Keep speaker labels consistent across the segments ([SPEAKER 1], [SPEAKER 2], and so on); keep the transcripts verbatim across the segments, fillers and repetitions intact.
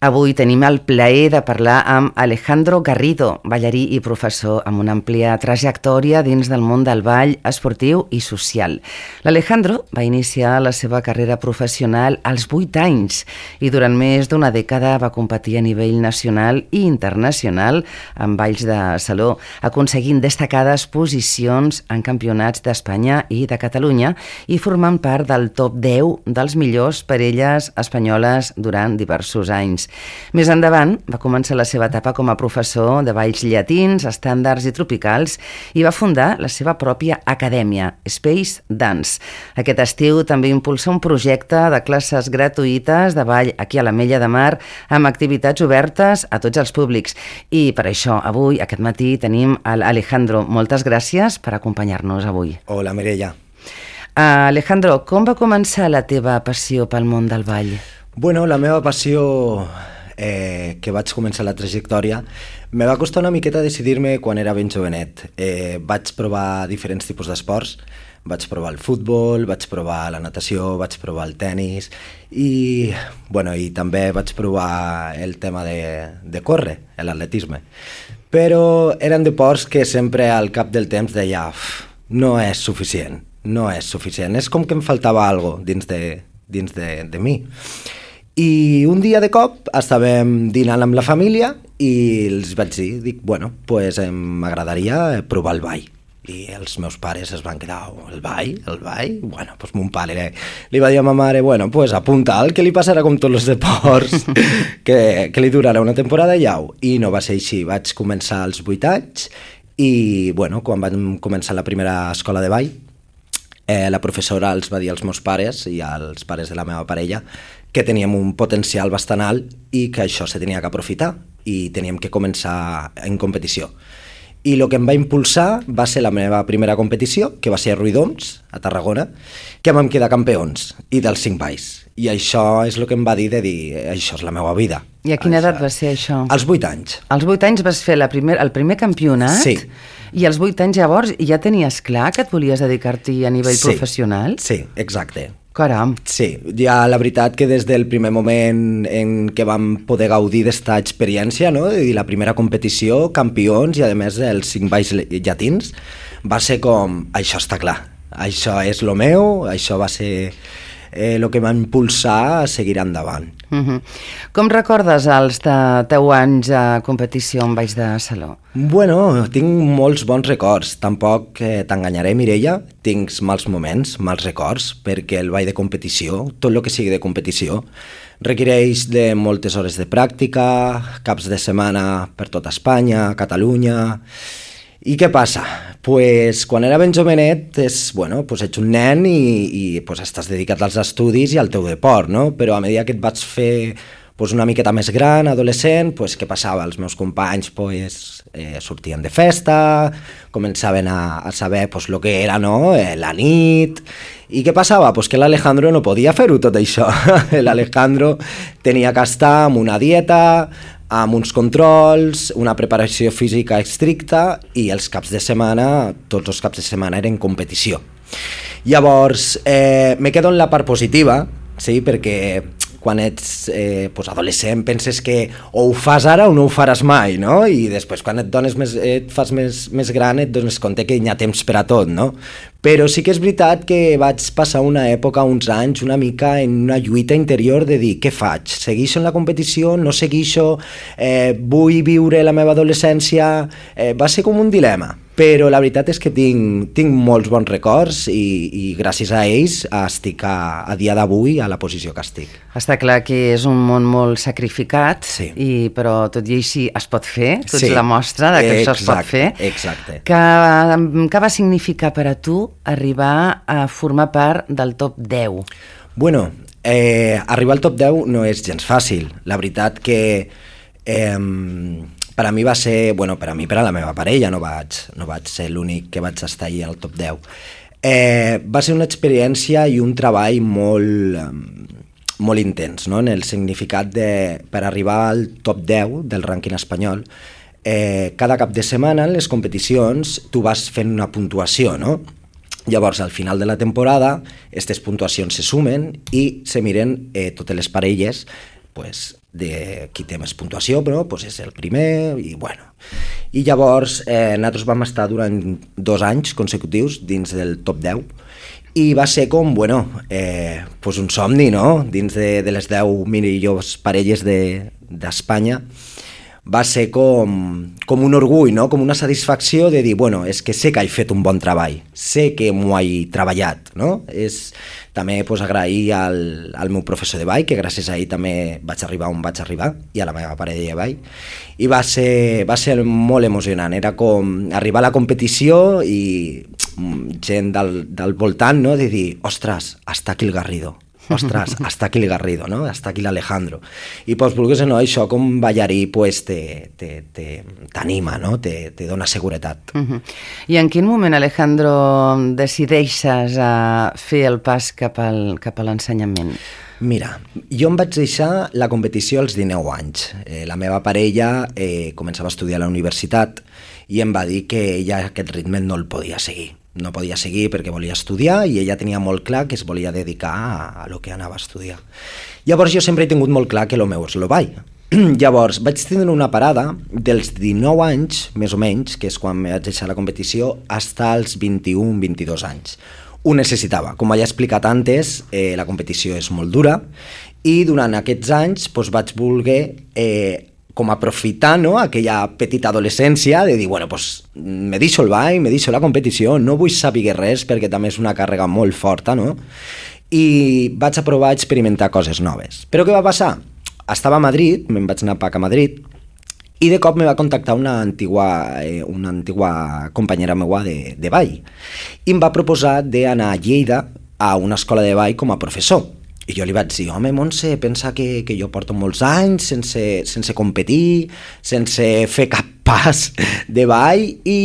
[SPEAKER 1] Avui tenim el plaer de parlar amb Alejandro Garrido, ballarí i professor amb una àmplia trajectòria dins del món del ball esportiu i social. L'Alejandro va iniciar la seva carrera professional als vuit anys i durant més d'una dècada va competir a nivell nacional i internacional en balls de saló, aconseguint destacades posicions en campionats d'Espanya i de Catalunya i formant part del top deu dels millors parelles espanyoles durant diversos anys. Més endavant va començar la seva etapa com a professor de balls llatins, estàndards i tropicals i va fundar la seva pròpia acadèmia, Space Dance. Aquest estiu també impulsa un projecte de classes gratuïtes de ball aquí a l'Ametlla de Mar amb activitats obertes a tots els públics. I per això avui, aquest matí, tenim l'Alejandro. Moltes gràcies per acompanyar-nos avui.
[SPEAKER 2] Hola, Mireia.
[SPEAKER 1] Uh, Alejandro, com va començar la teva passió pel món del ball?
[SPEAKER 2] Bueno, la meva passió, eh, que vaig començar la trajectòria, me va costar una miqueta decidir-me quan era ben jovenet. Eh, vaig provar diferents tipus d'esports, vaig provar el futbol, vaig provar la natació, vaig provar el tennis i, bueno, i també vaig provar el tema de, de córrer, l'atletisme. Però eren deports que sempre al cap del temps deia no és suficient, no és suficient, és com que em faltava alguna cosa dins de, dins de, de mi. I un dia de cop estàvem dinant amb la família i els vaig dir, dic, bueno, pues m'agradaria provar el ball. I els meus pares es van quedar, oh, el ball, el ball? Bueno, pues mon pare li, li va dir a ma mare, bueno, pues apunta el que li passarà com tots els deports, que, que li durarà una temporada i au. I no va ser així, vaig començar als vuit anys i, bueno, quan vam començar la primera escola de ball, eh, la professora els va dir als meus pares i als pares de la meva parella que teníem un potencial bastant alt i que això se tenia que aprofitar i teníem que començar en competició. I el que em va impulsar va ser la meva primera competició, que va ser a Ruïdoms, a Tarragona, que vam quedar campions i dels cinc balls. I això és el que em va dir de dir, això és la meva vida.
[SPEAKER 1] I a quina
[SPEAKER 2] això...
[SPEAKER 1] edat va ser això?
[SPEAKER 2] Als vuit anys.
[SPEAKER 1] Als vuit anys vas fer la primer, el primer campionat?
[SPEAKER 2] Sí.
[SPEAKER 1] I als vuit anys llavors ja tenies clar que et volies dedicar-t'hi a nivell
[SPEAKER 2] sí.
[SPEAKER 1] professional?
[SPEAKER 2] Sí, exacte.
[SPEAKER 1] Caram.
[SPEAKER 2] Sí, ja la veritat que des del primer moment en què vam poder gaudir d'esta experiència, no? I la primera competició, campions i a més els cinc balls llatins, va ser com, això està clar, això és lo meu, això va ser el eh, que va impulsar a seguir endavant.
[SPEAKER 1] Uh-huh. Com recordes els de deu anys a competició en balls de saló?
[SPEAKER 2] Bueno, tinc molts bons records, tampoc eh, t'enganyaré, Mireia, tinc mals moments, mals records, perquè el ball de competició, tot el que sigui de competició, requereix de moltes hores de pràctica, caps de setmana per tota Espanya, Catalunya. I què passa? Pues, quan era ben jovenet, és, bueno, pues ets un nen i, i pues, estàs dedicat als estudis i al teu deport, no? Però a mesura que et vaig fer pues, una miqueta més gran, adolescent, pues, què passava? Els meus companys pues, eh, sortien de festa, començaven a, a saber pues, el que era, no? eh, la nit. I què passava? Pues que l'Alejandro no podia fer-ho tot això. L'Alejandro tenia que estar amb una dieta, amb uns controls, una preparació física estricta i els caps de setmana, tots els caps de setmana eren competició. Llavors, eh, me quedo en la part positiva, sí, perquè quan ets eh, pues adolescent penses que o ho fas ara o no ho faràs mai, no? I després quan et, dones més, et fas més, més gran et dones compte que hi ha temps per a tot, no? Però sí que és veritat que vaig passar una època, uns anys, una mica en una lluita interior de dir, què faig? Segueixo en la competició? No segueixo? Eh, vull viure la meva adolescència? Eh, va ser com un dilema. Però la veritat és que tinc, tinc molts bons records i, i gràcies a ells estic a, a dia d'avui a la posició que estic.
[SPEAKER 1] Està clar que és un món molt sacrificat,
[SPEAKER 2] sí.
[SPEAKER 1] i, però tot i així es pot fer, tu ets
[SPEAKER 2] sí.
[SPEAKER 1] la mostra de que
[SPEAKER 2] exacte,
[SPEAKER 1] això es pot fer.
[SPEAKER 2] Exacte.
[SPEAKER 1] Que, què va significar per a tu arribar a formar part del top deu?
[SPEAKER 2] Bueno, eh, arribar al top deu no és gens fàcil. La veritat que... Eh, per a mi va ser, bueno, per a mi, per a la meva parella, no vaig, no vaig ser l'únic que vaig estar allà al top deu. Eh, va ser una experiència i un treball molt, molt intens, no? En el significat de, per arribar al top deu del rànquing espanyol, eh, cada cap de setmana en les competicions tu vas fent una puntuació, no? Llavors, al final de la temporada, aquestes puntuacions se sumen i se miren eh, totes les parelles pues, de qui té més puntuació, però pues, és el primer, i bueno. I llavors eh, nosaltres vam estar durant dos anys consecutius dins del top deu, i va ser com, bueno, eh, pues un somni, no? Dins de, de les deu millors parelles d'Espanya, de, va ser com, com un orgull, no? Com una satisfacció de dir, bueno, és que sé que he fet un bon treball, sé que m'ho he treballat, no? És també pues, agrair al, al meu professor de ball, que gràcies a ell també vaig arribar on vaig arribar, i a la meva parella de ball, i va ser, va ser molt emocionant, era com arribar a la competició i gent del, del voltant, no? De dir, ostres, està aquí el Garrido, ostres, està aquí el Garrido, no? Està aquí l'Alejandro. I pues, vulguis o no, això com ballarí pues, t'anima, no? Te, te dona seguretat.
[SPEAKER 1] Uh -huh. I en quin moment, Alejandro, decideixes a fer el pas cap al, cap a l'ensenyament?
[SPEAKER 2] Mira, jo em vaig deixar la competició als dinou anys. Eh, la meva parella eh, començava a estudiar a la universitat i em va dir que ella aquest ritme no el podia seguir. No podia seguir perquè volia estudiar i ella tenia molt clar que es volia dedicar a, a lo que anava a estudiar. Llavors jo sempre he tingut molt clar que el meu és el ball. Llavors vaig tindre una parada dels dinou anys, més o menys, que és quan vaig deixar la competició, fins als vint-i-un vint-i-dos anys. Ho necessitava. Com ja he explicat antes, eh, la competició és molt dura i durant aquests anys doncs, vaig voler eh, com aprofitar, no?, aquella petita adolescència de dir, bueno, pues me deixo el ball, me deixo la competició, no vull saber res perquè també és una càrrega molt forta, no? I vaig a provar a experimentar coses noves. Però què va passar? Estava a Madrid, me'n vaig anar a Madrid, i de cop me va contactar una antigua, eh, una antigua companyera meua de, de ball i em va proposar d'anar a Lleida a una escola de ball com a professor. I jo li vaig dir, home, Montse, pensa que, que jo porto molts anys sense, sense competir, sense fer cap pas de ball i,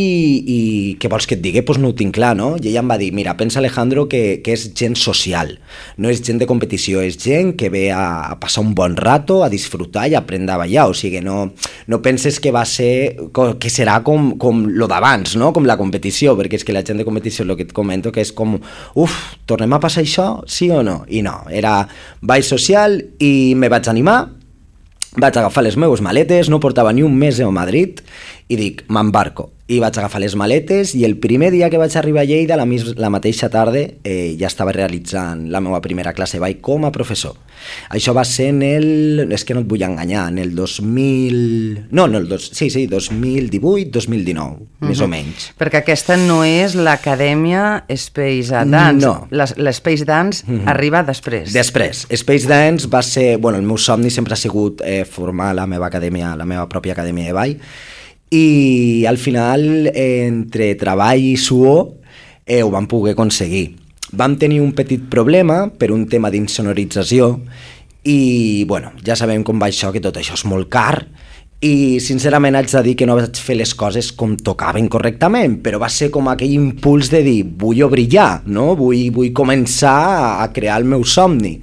[SPEAKER 2] i què vols que et digui? Doncs pues no ho tinc clar, no? I ella em va dir, mira, pensa Alejandro que, que és gent social, no és gent de competició, és gent que ve a, a passar un bon rato, a disfrutar i a aprendre a ballar, o sigui, no, no penses que va ser, que serà com, com lo d'abans, no? Com la competició, perquè és que la gent de competició, el que et comento, que és com, uf, tornem a passar això, sí o no? I no, era ball social i me vaig animar, vaig agafar les meves maletes, no portava ni un mes a Madrid i dic, m'embarco. I vaig agafar les maletes i el primer dia que vaig arribar a Lleida, la, la mateixa tarda, eh, ja estava realitzant la meva primera classe de ball com a professor. Això va ser en el... és que no et vull enganyar, en el dos mil... No, no, el dos... sí, sí, dos mil divuit dos mil dinou, uh-huh. més o menys.
[SPEAKER 1] Perquè aquesta no és l'acadèmia Space Dance.
[SPEAKER 2] No.
[SPEAKER 1] L'Space Dance uh-huh. arriba després.
[SPEAKER 2] Després. Space Dance va ser... Bueno, el meu somni sempre ha sigut eh, formar la meva acadèmia, la meva pròpia acadèmia de ball, i al final, entre treball i suor, eh, ho vam poder aconseguir. Vam tenir un petit problema per un tema d'insonorització i, bueno, ja sabem com va això, que tot això és molt car i sincerament haig de dir que no vaig fer les coses com tocaven correctament, però va ser com aquell impuls de dir, vull brillar, no? vull, vull començar a crear el meu somni.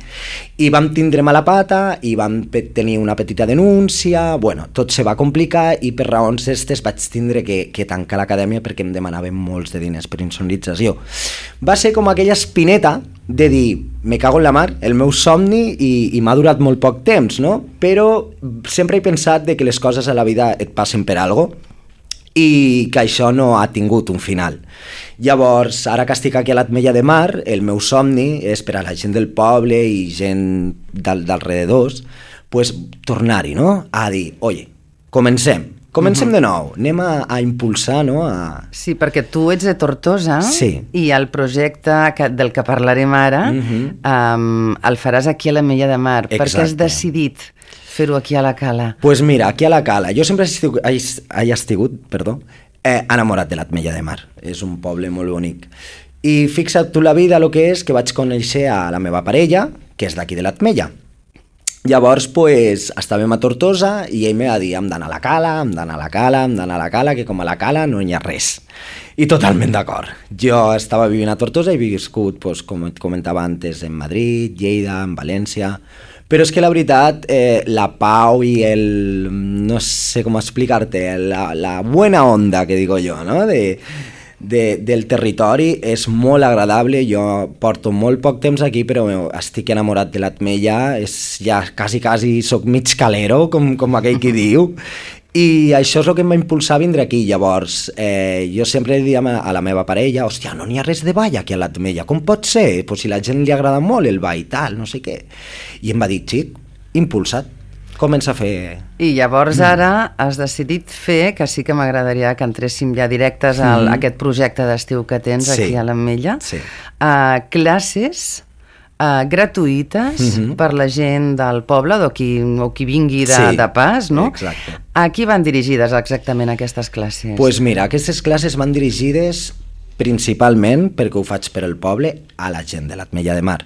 [SPEAKER 2] I vam tindre mala pata i vam tenir una petita denúncia, bueno, tot se va complicar i per raons d'estes vaig tindre que, que tancar l'acadèmia perquè em demanaven molts de diners per insonorització. Va ser com aquella espineta de dir, me cago en la mar, el meu somni i, i m'ha durat molt poc temps, no? Però sempre he pensat de que les coses a la vida et passen per algo i que això no ha tingut un final. Llavors, ara que estic aquí a l'Atmella de Mar, el meu somni és per a la gent del poble i gent d'alrededors, pues, tornar-hi, no? A dir, oye, comencem. Comencem uh-huh. de nou, anem a, a impulsar, no? A...
[SPEAKER 1] Sí, perquè tu ets de Tortosa
[SPEAKER 2] sí.
[SPEAKER 1] i el projecte que, del que parlarem ara uh-huh. um, el faràs aquí a l'Ametlla de Mar.
[SPEAKER 2] Exacte.
[SPEAKER 1] Per què has decidit fer-ho aquí a la Cala?
[SPEAKER 2] Doncs pues mira, aquí a la Cala, jo sempre he estigut, he, he estigut perdó, eh, enamorat de l'Atmella de Mar. És un poble molt bonic. I fixa't tu la vida, el que és, que vaig conèixer a la meva parella, que és d'aquí de l'Atmella. Llavors, pues, estàvem a Tortosa i ell me va dir, hem d'anar a la Cala, hem d'anar a la Cala, hem d'anar a la Cala, que com a la Cala no hi ha res. I totalment d'acord. Jo estava vivint a Tortosa i he viscut, pues, com et comentava antes, en Madrid, Lleida, en València, però és que la veritat, eh, la pau i el, no sé com explicar-te, la, la buena onda que digo jo, no? De, de, del territori, és molt agradable, jo porto molt poc temps aquí, però estic enamorat de l'Ametlla, és ja quasi, quasi soc mig calero, com, com aquell qui diu, i això és el que em va impulsar a vindre aquí. Llavors, eh, jo sempre li diem a la meva parella, hòstia, no n'hi ha res de ball aquí a l'Ametlla, com pot ser? Pues si la gent li agrada molt el ball, tal, no sé què. I em va dir, xic, impulsat, comença a fer...
[SPEAKER 1] I llavors ara has decidit fer, que sí que m'agradaria que entréssim ja directes a mm. aquest projecte d'estiu que tens sí. aquí a l'Ametlla,
[SPEAKER 2] sí.
[SPEAKER 1] uh, classes... Uh, gratuïtes uh-huh. per la gent del poble o qui, o qui vingui de,
[SPEAKER 2] sí,
[SPEAKER 1] de pas, no?
[SPEAKER 2] Exacte.
[SPEAKER 1] A qui van dirigides exactament aquestes classes?
[SPEAKER 2] Doncs pues mira, aquestes classes van dirigides principalment, perquè ho faig per al poble, a la gent de l'Ametlla de Mar.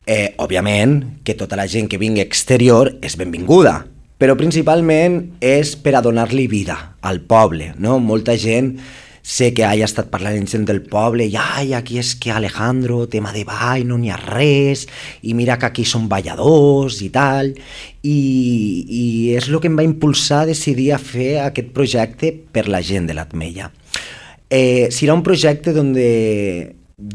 [SPEAKER 2] Eh, òbviament que tota la gent que vingui exterior és benvinguda, però principalment és per a donar-li vida al poble, no? Molta gent... Sé que haya estat parlant amb gent del poble i ai, aquí és que Alejandro, tema de ball, no n'hi ha res, i mira que aquí són balladors i tal, i, i és el que em va impulsar a decidir a fer aquest projecte per la gent de l'Ametlla. Eh, serà un projecte on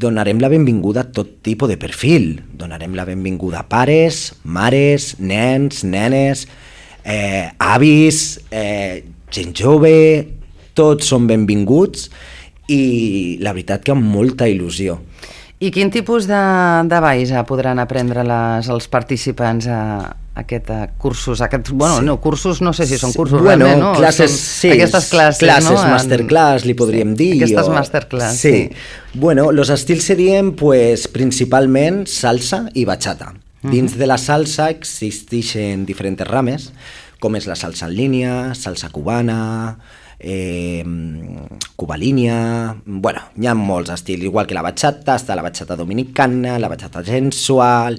[SPEAKER 2] donarem la benvinguda a tot tipus de perfil, donarem la benvinguda a pares, mares, nens, nenes, eh, avis, eh, gent jove... Tots són benvinguts i la veritat que amb molta il·lusió.
[SPEAKER 1] I quin tipus de, de balls podran aprendre les, els participants a, a aquest a cursos? A aquest, bueno, sí. no, cursos no sé si són cursos,
[SPEAKER 2] bueno,
[SPEAKER 1] realment, no?
[SPEAKER 2] Classes, sí,
[SPEAKER 1] aquestes classes,
[SPEAKER 2] classes
[SPEAKER 1] no?
[SPEAKER 2] masterclass, li podríem
[SPEAKER 1] sí,
[SPEAKER 2] dir.
[SPEAKER 1] Aquestes
[SPEAKER 2] o...
[SPEAKER 1] masterclass,
[SPEAKER 2] sí.
[SPEAKER 1] sí.
[SPEAKER 2] Bueno, los estils serien pues, principalment salsa i bachata. Uh-huh. Dins de la salsa existeixen diferents rames, com és la salsa en línia, salsa cubana... Eh, cubalínia, bueno, hi ha molts estils, igual que la bachata, està la bachata dominicana, la bachata sensual.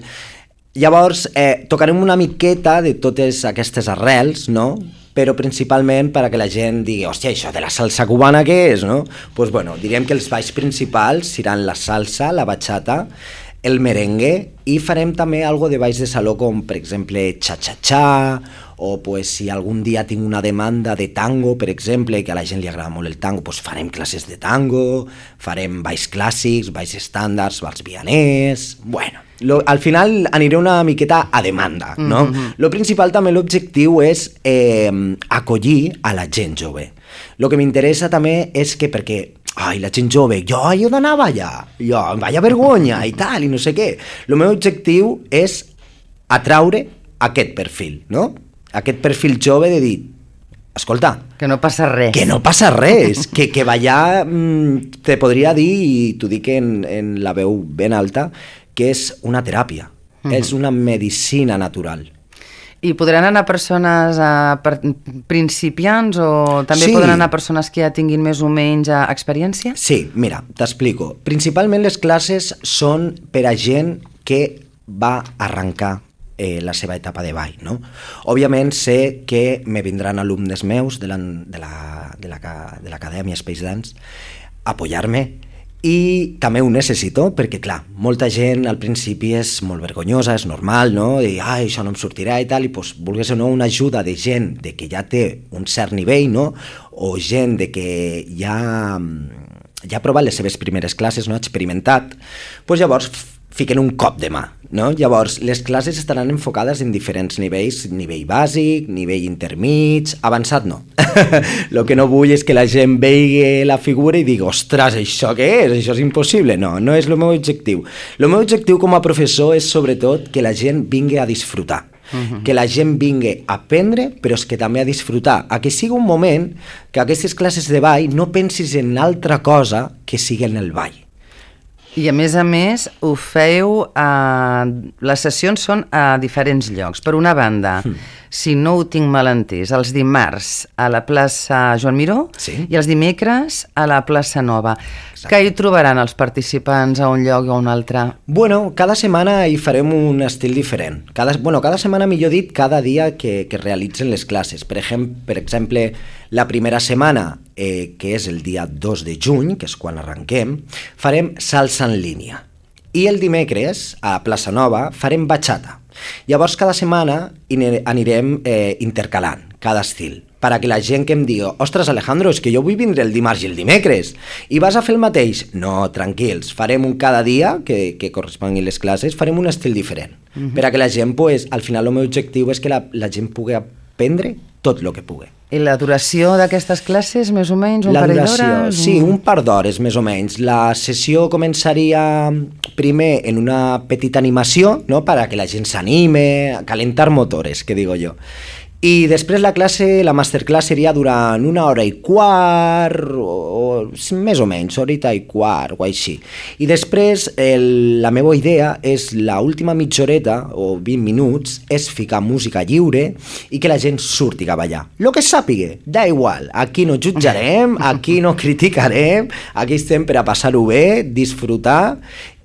[SPEAKER 2] Llavors, eh, tocarem una miqueta de totes aquestes arrels, no? Però principalment per a que la gent digui, hòstia, això de la salsa cubana què és, no? Doncs, pues, bueno, diríem que els balls principals seran la salsa, la bachata, el merengue, i farem també algo de balls de saló com, per exemple, cha-cha-cha, o pues, si algun dia tinc una demanda de tango, per exemple, que a la gent li agrada molt el tango, pues farem classes de tango, farem balls clàssics, balls estàndards, balls vianers... Bueno, lo, al final aniré una miqueta a demanda, no? Mm-hmm. Lo principal també, l'objectiu és eh, acollir a la gent jove. Lo que m'interessa també és que, perquè ai, la gent jove, jo he d'anar a ballar, jo, vaya vergonya i tal, i no sé què. El meu objectiu és atraure aquest perfil, no? Aquest perfil jove de dir, escolta...
[SPEAKER 1] Que no passa res.
[SPEAKER 2] Que no passa res, que, que ballar, mmm, te podria dir, i t'ho dic en, en la veu ben alta, que és una teràpia, mm-hmm. és una medicina natural.
[SPEAKER 1] I podran anar persones a, per, principiants o també sí. Podran anar persones que ja tinguin més o menys experiència?
[SPEAKER 2] Sí, mira, t'explico. Principalment les classes són per a gent que va arrencar eh, la seva etapa de ball, no? Òbviament sé que me vindran alumnes meus de l'Acadèmia Space Dance a apoyar-me, i també ho necessito perquè, clar, molta gent al principi és molt vergonyosa, és normal, no? I, ai, això no em sortirà i tal, i doncs, vulguis o no, una ajuda de gent de que ja té un cert nivell, no? O gent de que ja, ja ha provat les seves primeres classes, no? Ha experimentat, doncs llavors fiquen un cop de mà, no? Llavors, les classes estaran enfocades en diferents nivells, nivell bàsic, nivell intermig, avançat no. El que no vull és que la gent vegi la figura i digui, ostres, això què és? Això és impossible. No, no és el meu objectiu. El meu objectiu com a professor és sobretot que la gent vingui a disfrutar. Uh-huh. Que la gent vingui a aprendre, però és que també a disfrutar, a que sigui un moment que aquestes classes de ball no pensis en altra cosa que sigui en el ball.
[SPEAKER 1] I a més a més ho feu, a... les sessions són a diferents llocs. Per una banda, mm. si no ho tinc mal entès, els dimarts a la plaça Joan Miró, sí. I els dimecres a la plaça Nova. Exacte. Què hi trobaran els participants a un lloc o a un altre? Bueno,
[SPEAKER 2] cada setmana hi farem un estil diferent. Cada, bueno, cada setmana, millor dit, cada dia que, que realitzen les classes. Per exemple, per exemple la primera setmana, eh, que és el dia dos de juny, que és quan arrenquem, farem salsa en línia. I el dimecres, a Plaça Nova, farem bachata. Llavors, cada setmana anirem eh, intercalant cada estil. per a que la gent que em digui ostres, Alejandro, és que jo vull vindre el dimarts i el dimecres, i vas a fer el mateix? No, tranquils, farem un cada dia que, que correspongui les classes, farem un estil diferent, uh-huh. per a que la gent, pues, al final el meu objectiu és que la, la gent pugui aprendre tot el que pugui.
[SPEAKER 1] I la duració d'aquestes classes, més o menys, un
[SPEAKER 2] la
[SPEAKER 1] parell
[SPEAKER 2] duració,
[SPEAKER 1] d'hores?
[SPEAKER 2] Sí, un par d'hores, més o menys. La sessió començaria primer en una petita animació, no?, per a que la gent s'anime, a calentar motores, que digo jo. I després la classe, la masterclass seria durant una hora i quart, o, o més o menys, horita i quart, o així. I després el, la meva idea és l'última mitja horeta, o vint minuts, és ficar música lliure i que la gent surti a ballar. Lo que sàpiga, da igual, aquí no jutjarem, aquí no criticarem, aquí estem per a passar-ho bé, disfrutar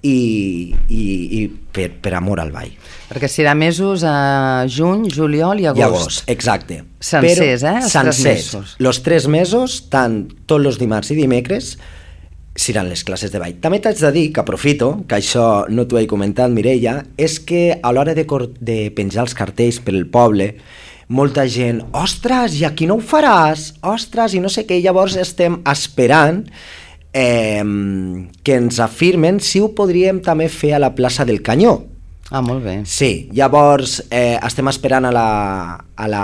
[SPEAKER 2] i, i, i per, per amor al ball.
[SPEAKER 1] Perquè serà mesos a juny, juliol i agost.
[SPEAKER 2] I agost, exacte.
[SPEAKER 1] Sencers,
[SPEAKER 2] Però,
[SPEAKER 1] eh? Els
[SPEAKER 2] sencers.
[SPEAKER 1] tres mesos.
[SPEAKER 2] Los tres mesos, tant tots els dimarts i dimecres, seran les classes de ball. També t'haig de dir, que aprofito, que això no t'ho he comentat, Mireia, és que a l'hora de, de penjar els cartells per el poble, molta gent, ostres, i aquí no ho faràs? Ostres, i no sé què, llavors estem esperant eh, que ens afirmen si ho podríem també fer a la plaça del Canyó.
[SPEAKER 1] Ah, molt bé.
[SPEAKER 2] Sí, llavors eh, estem esperant a la, a la,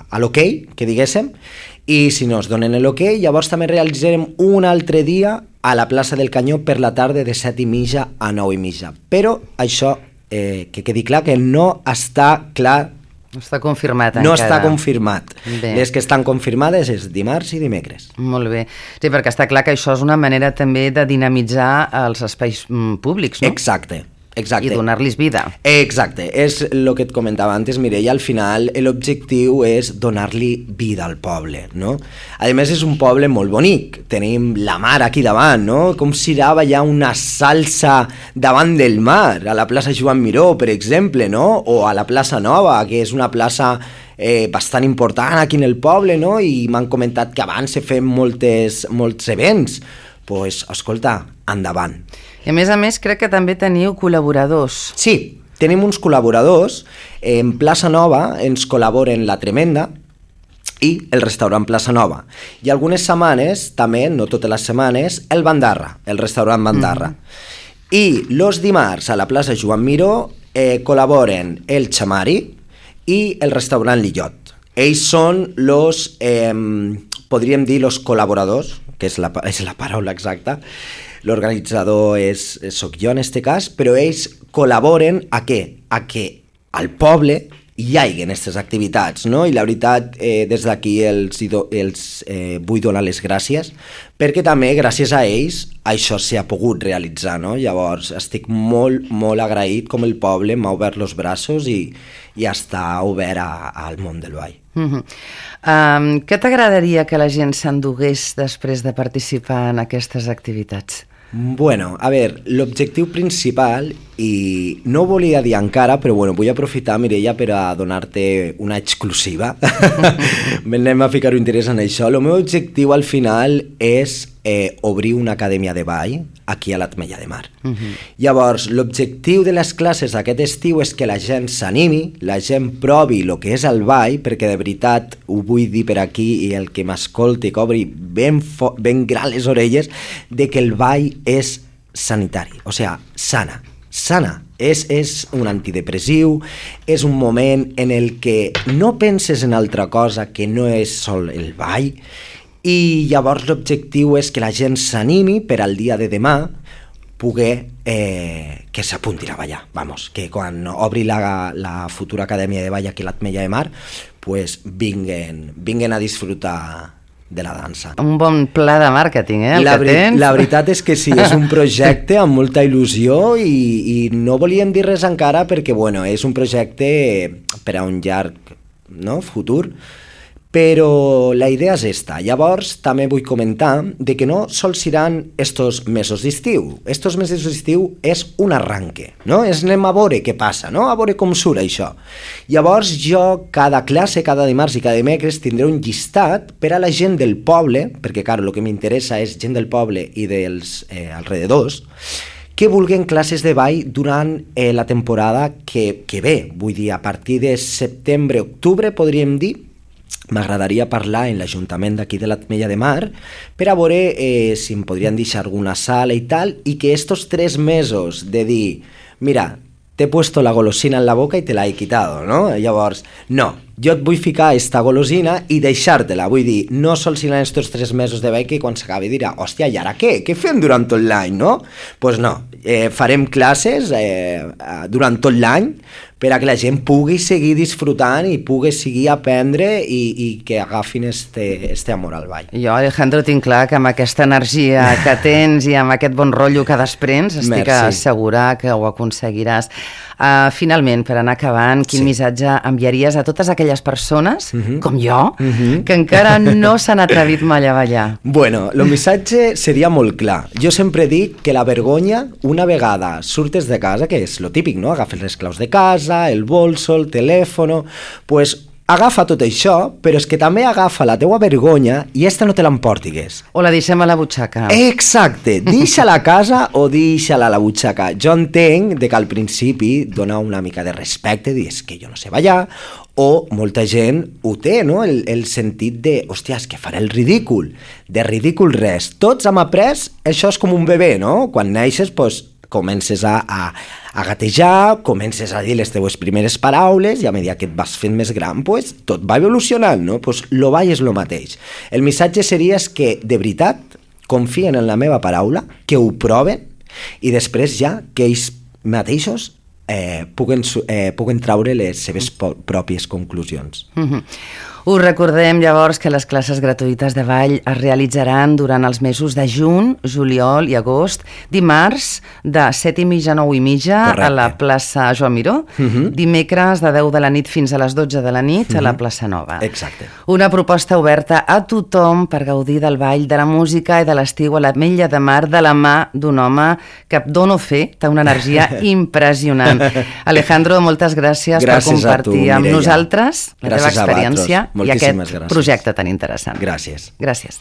[SPEAKER 2] a l'ok, que diguéssim, i si no es donen l'ok, llavors també realitzarem un altre dia a la plaça del Canyó per la tarda de set i mitja a nou i mitja. Però això, eh, que quedi clar que no està clar.
[SPEAKER 1] No està confirmat
[SPEAKER 2] no
[SPEAKER 1] encara.
[SPEAKER 2] No està confirmat.
[SPEAKER 1] Bé.
[SPEAKER 2] Les que estan confirmades és dimarts i dimecres.
[SPEAKER 1] Molt bé. Sí, perquè està clar que això és una manera també de dinamitzar els espais mm, públics, no?
[SPEAKER 2] Exacte. Exacte.
[SPEAKER 1] I donar-los vida.
[SPEAKER 2] Exacte, és el que et comentava antes, Mireia, al final l'objectiu és donar-li vida al poble, no? A més és un poble molt bonic, tenim la mar aquí davant, no? Com si hi ha una salsa davant del mar, a la plaça Joan Miró, per exemple, no? O a la plaça Nova, que és una plaça eh, bastant important aquí en el poble, no? I m'han comentat que abans se feien moltes, molts events. Doncs, pues, escolta, endavant.
[SPEAKER 1] I a més a més crec que també teniu col·laboradors.
[SPEAKER 2] Sí, tenim uns col·laboradors. En Plaça Nova ens col·laboren La Tremenda i el restaurant Plaça Nova. I algunes setmanes, també, no totes les setmanes, el Bandarra, el restaurant Bandarra. Mm. I los dimarts a la plaça Joan Miró eh, col·laboren el Chamari i el restaurant Lillot. Ells són los, eh, podríem dir, los col·laboradors, que és la, és la paraula exacta. L'organitzador és, soc jo en este cas, però ells col·laboren a què? A que al poble hi hagi aquestes activitats, no? I la veritat, eh, des d'aquí els, els eh, vull donar les gràcies, perquè també gràcies a ells això s'ha pogut realitzar, no? Llavors estic molt, molt agraït com el poble m'ha obert els braços i, i està obert a, al món del ball.
[SPEAKER 1] Uh-huh. um, què t'agradaria que la gent s'endugués després de participar en aquestes activitats?
[SPEAKER 2] Bueno, a veure, l'objectiu principal, i no ho volia dir encara, però bueno, vull aprofitar, Mireia, per a donar-te una exclusiva. Anem a ficar-ho interès en això. El meu objectiu al final és eh, obrir una acadèmia de ball aquí a l'Ametlla de Mar. Uh-huh. Llavors, l'objectiu de les classes aquest estiu és que la gent s'animi, la gent provi el que és el ball, perquè de veritat ho vull dir per aquí i el que m'escolti que obri ben, fo- ben gran les orelles, de que el ball és sanitari, o sigui, sana, sana. És, és un antidepressiu, és un moment en el que no penses en altra cosa que no és sol el ball, i llavors l'objectiu és que la gent s'animi per al dia de demà poder eh, que s'apuntin a ballar, vamos, que quan obri la, la futura acadèmia de ball aquí a l'Ametlla de Mar, pues vinguen, vinguen a disfrutar de la dansa.
[SPEAKER 1] Un bon pla de màrqueting, eh, el
[SPEAKER 2] la,
[SPEAKER 1] que tens.
[SPEAKER 2] La veritat és que sí, és un projecte amb molta il·lusió i, i no volíem dir res encara perquè, bueno, és un projecte per a un llarg, no?, futur, però la idea és esta. Llavors també vull comentar de que no sols seran estos mesos d'estiu. Estos mesos d'estiu és un arranque, no? És anem a veure què passa, no? A veure com surt això. Llavors jo cada classe, cada dimarts i cada dimecres tindré un llistat per a la gent del poble, perquè clar, el que m'interessa és gent del poble i dels eh, alrededors, que vulguin classes de ball durant eh, la temporada que, que ve. Vull dir, a partir de setembre-octubre podríem dir, m'agradaria parlar en l'Ajuntament d'aquí de l'Ametlla de Mar per a veure eh, si em podrien deixar alguna sala i tal, i que estos tres mesos de dir, mira, t'he puesto la golosina en la boca i te la he quitado, no? Llavors, no, jo et vull ficar esta golosina i deixar-te-la, vull dir, no sols en estos tres mesos de beca i quan s'acabi dirà, hòstia, i ara què? Què fem durant tot l'any, no? Doncs pues no, eh, farem classes eh, durant tot l'any per a que la gent pugui seguir disfrutant i pugui seguir aprendre i, i que agafin este, este amor al ball.
[SPEAKER 1] Jo, Alejandro, tinc clar que amb aquesta energia que tens i amb aquest bon rotllo que desprens, estic Merci. segura que ho aconseguiràs. Uh, finalment, per anar acabant, quin sí. missatge enviaries a totes aquelles persones, uh-huh. com jo, uh-huh. que encara no s'han atrevit mai a ballar?
[SPEAKER 2] Bueno, el missatge seria molt clar. Jo sempre dic que la vergonya, una vegada surtes de casa, que és lo típic, no? Agafes les claus de casa, el bolso, el telèfon, pues agafa tot això, però és que també agafa la teua vergonya i esta no te l'emportigues.
[SPEAKER 1] O la deixem a la butxaca.
[SPEAKER 2] Exacte, deixa-la a casa o deixa-la a la butxaca. Jo entenc de que al principi dona una mica de respecte, dir, és que jo no sé ballar, o molta gent ho té, no? El, el sentit de, hòstia, és que faré el ridícul. De ridícul res. Tots hem après, això és com un bebè, no? Quan neixes, doncs, comences a, a, a gatejar, comences a dir les teues primeres paraules i a mesura que et vas fent més gran, pues, tot va evolucionant, no? Pues, lo ball és lo mateix. El missatge seria és que, de veritat, confien en la meva paraula, que ho proven i després ja que ells mateixos eh, puguen, eh, puguen traure les seves pròpies conclusions.
[SPEAKER 1] Mm-hmm. Us recordem llavors que les classes gratuïtes de ball es realitzaran durant els mesos de juny, juliol i agost, dimarts de set i mitja a nou i mitja Correcte. A la plaça Joan Miró, uh-huh. dimecres de deu de la nit fins a les dotze de la nit uh-huh. a la plaça Nova.
[SPEAKER 2] Exacte.
[SPEAKER 1] Una proposta oberta a tothom per gaudir del ball, de la música i de l'estiu a l'Ametlla de Mar de la mà d'un home que dono fe, té una energia impressionant. Alejandro, moltes gràcies, gràcies per compartir tu, amb nosaltres la gràcies teva experiència i aquest gràcies. projecte tan interessant.
[SPEAKER 2] Gràcies.
[SPEAKER 1] Gràcies.